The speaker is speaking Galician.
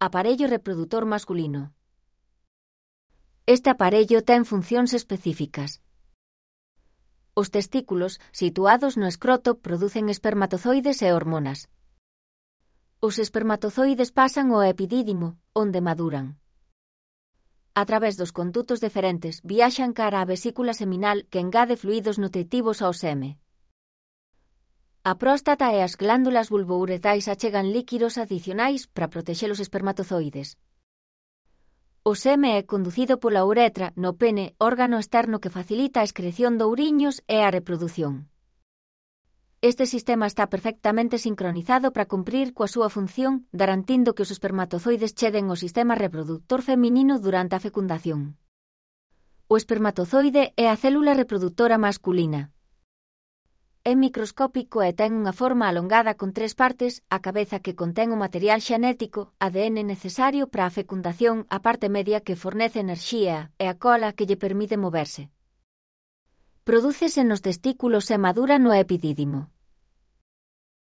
Aparello reprodutor masculino. Este aparello ten funcións específicas. Os testículos, situados no escroto, producen espermatozoides e hormonas. Os espermatozoides pasan ao epidídimo, onde maduran. A través dos condutos deferentes viaxan cara á vesícula seminal que engade fluidos nutritivos ao seme. A próstata e as glándulas vulvouretais achegan líquidos adicionais para protexer os espermatozoides. O seme é conducido pola uretra no pene, órgano externo que facilita a excreción de ouriños e a reprodución. Este sistema está perfectamente sincronizado para cumprir coa súa función, garantindo que os espermatozoides cheguen ao sistema reproductor feminino durante a fecundación. O espermatozoide é a célula reproductora masculina. É microscópico e ten unha forma alongada con 3 partes, a cabeza que contén o material xenético, ADN necesario para a fecundación, a parte media que fornece enerxía, e a cola que lle permite moverse. Prodúcese nos testículos e madura no epidídimo.